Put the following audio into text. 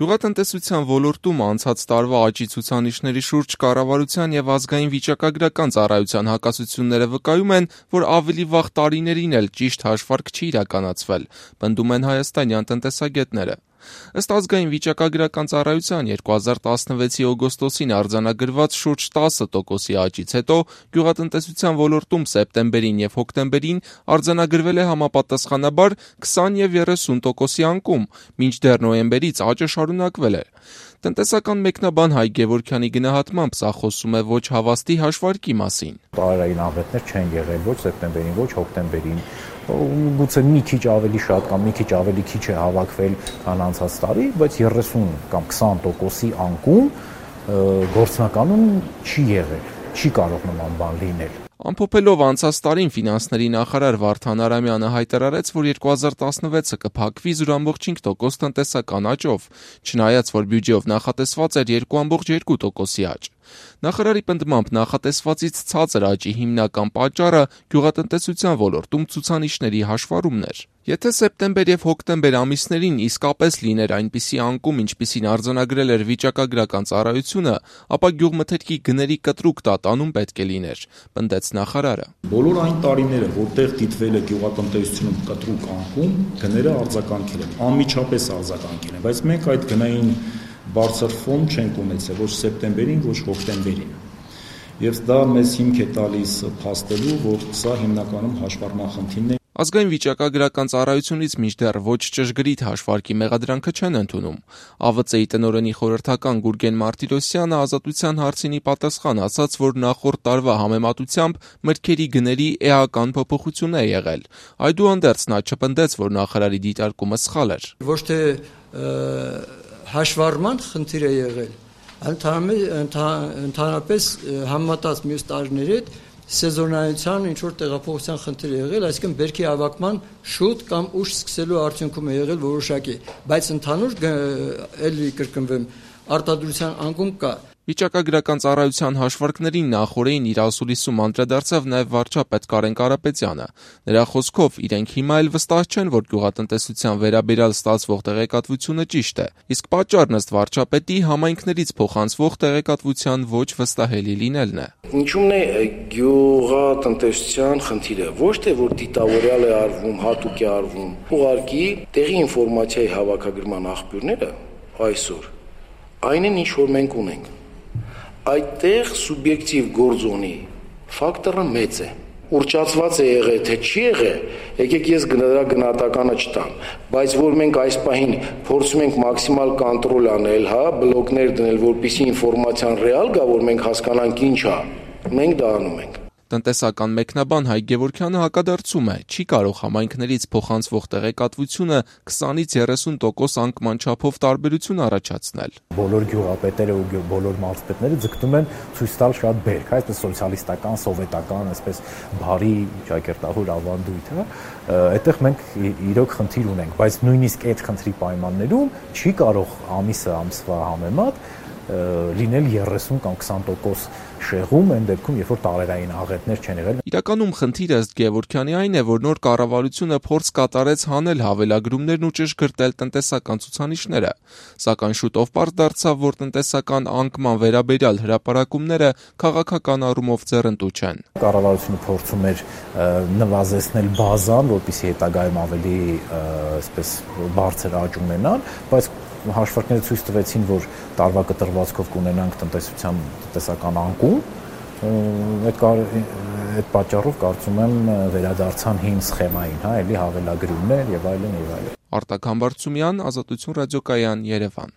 Գյուղատնտեսության ոլորտում անցած տարվա աճի ցուցանիշների շուրջ կառավարության եւ ազգային վիճակագրական ծառայության հակասությունները վկայում են, որ ավելի վաղ տարիներին էլ ճիշտ հաշվարկ չի իրականացվել, պնդում են հայաստանյան տնտեսագետները։ Ըստ ազգային վիճակագրական ծառայության 2016-ի օգոստոսին արձանագրված շուրջ 10% աճից հետո գյուղատնտեսության ոլորտում սեպտեմբերին եւ հոկտեմբերին արձանագրվել է համապատասխանաբար 20 եւ 30% անկում, մինչդեռ նոյեմբերից աճը շարունակվել է։ Տնտեսական մեկնաբան Հայ Գևորգյանի գնահատմամբ սա խոսում է ոչ հավաստի հաշվարկի մասին։ Տարերային աղետներ չեն եղել ոչ սեպտեմբերին, ոչ հոկտեմբերին, գուցե մի քիչ ավելի շատ կամ մի քիչ ավելի քիչ է հավաքվել, քան անցած տարի, բայց 30 կամ 20%-ի անկում գործնականում չի եղել, չի կարող նման բան լինել։ Ամփոփելով անցած տարին ֆինանսների նախարար Վարդան Արամյանը հայտարարեց, որ 2016-ը կփակվի 0.5% տնտեսական աճով, չնայած որ բյուջեով նախատեսված էր 2.2%-ի աճ։ Նախարարի պնդմամբ նախատեսվածից ցածր աճի հիմնական պատճառը գյուղատնտեսության ոլորտում ցուցանիշների հաշվառումն էր։ Եթե սեպտեմբեր եւ հոկտեմբեր ամիսներին իսկապես լիներ այնպիսի անկում, ինչպիսին արձանագրել էր վիճակագրական ծառայությունը, ապա գյուղմթերքի գների կտրուկ տատանում պետք է լիներ, պնդեց նախարարը։ Բոլոր այն տարիները, որտեղ դիտվել է գյուղատնտեսությունում կտրուկ անկում, գները արձագանքել են, անմիջապես արձագանքել են, բայց մենք այդ գնային բարձր ֆոն չենք ունեցել ոչ սեպտեմբերին, ոչ հոկտեմբերին։ Եվ դա մեզ հիմք է տալիս փաստելու, որ սա հիմնականում հաշվառման խնդիրն է։ Ազգային վիճակագրական ծառայությունից մինչդեռ ոչ ճշգրիտ հաշվարկի մեղադրանքը չեն ընդունում։ ԱՎԾ-ի տնօրենի խորհրդական Գուրգեն Մարտիրոսյանը Ազատության հարցինի պատասխան ասաց, որ նախորդ տարվա համեմատությամբ մրգերի գների էական փոփոխություն է եղել։ Այդուհանդերձ նա չպնդեց, որ նախարարի դիտարկումը սխալ էր։ Ոչ թե հաշվառման խնդիր է եղել, ընդհանրապես համեմատած մյուս տարիների հետ սեզոնայնության ինչ-որ տեղափոխության խնդիր է եղել, այսինքն բերքի հավաքման շուտ կամ ուշ սկսելու արդյունքում է եղել որոշակի, բայց ընդհանուր էլի կրկնվեմ, արտադրության անկում կա։ Վիճակագրական ծառայության հաշվարկներին նախորդին իր ասուլիսում անդրադարձավ նաև վարչապետ Կարեն Կարապետյանը։ Նրա խոսքով իրենք հիմա էլ վստահ չեն, որ գյուղատնտեսության վերաբերյալ ստացվող տեղեկատվությունը ճիշտ է, իսկ պատճառն ըստ վարչապետի համայնքներից փոխանցվող տեղեկատվության ոչ վստահելի լինելն է։ Ինչու՞մն է գյուղատնտեսության խնդիրը, ոչ թե որ դիտավորյալ է արվում, հատուկ է արվում, ուղղակի տեղի ինֆորմացիայի հավաքագրման աղբյուրները այսօր այն են, ինչ որ մենք ունենք։ Այդտեղ սուբյեկտիվ գործոնի ֆակտորը մեծ է։ Ուրճացված է եղել, թե չի եղել, եկեք ես դրա գնահատականը չտամ, բայց որ մենք այս պահին փորձում ենք մաքսիմալ կոնտրոլ անել, բլոկներ դնել, որպեսզի ինֆորմացիան ռեալ գա, որ մենք հասկանանք ինչ է, մենք դա անում ենք։ Տնտեսական մեկնաբան Հայ Գևորգյանը հակադարձում է, չի կարող համայնքներից փոխանցվող տեղեկատվությունը 20-ից 30% անկման չափով տարբերություն առաջացնել։ Բոլոր գյուղապետերը ու բոլոր մարզպետները ձգտում են ցույց տալ շատ բերք, այսպես սոցիալիստական, սովետական, այսպես բարի ճակերտահոր ավանդույթ, այդտեղ մենք իրոք խնդիր ունենք, բայց նույնիսկ այդ խնդրի պայմաններում չի կարող ամիսը ամսվա համեմատ լինել 30 կամ 20% շեղում այն դեպքում, երբ որ տարերային աղետներ չեն եղել։ Իրականում խնդիրը ըստ Գևորգյանի այն է, որ նոր կառավարությունը փորձ կատարեց հանել հավելագրումներն ու ճշգրտել տնտեսական ցուցանիշները, սակայն շուտով պարզ դարձավ, որ տնտեսական անկման վերաբերյալ հրապարակումները քաղաքական առումով ձեռնտու չեն։ Կառավարությունը փորձում էր նվազեցնել բազան, որպեսզի հետագայում ավելի այսպես բարձր աճ ունենան, բայց հաշվարկները ցույց տվեցին, որ տարվա կտրվածքով կունենանք տնտեսական անկում, այդ պատճառով կարծում եմ վերադարձան հին սխեմային, էլի հավելագրումներ եւ այլն եւ այլն։ Արտակ Համբարձումյան, Ազատություն ռադիոկայան, Երևան։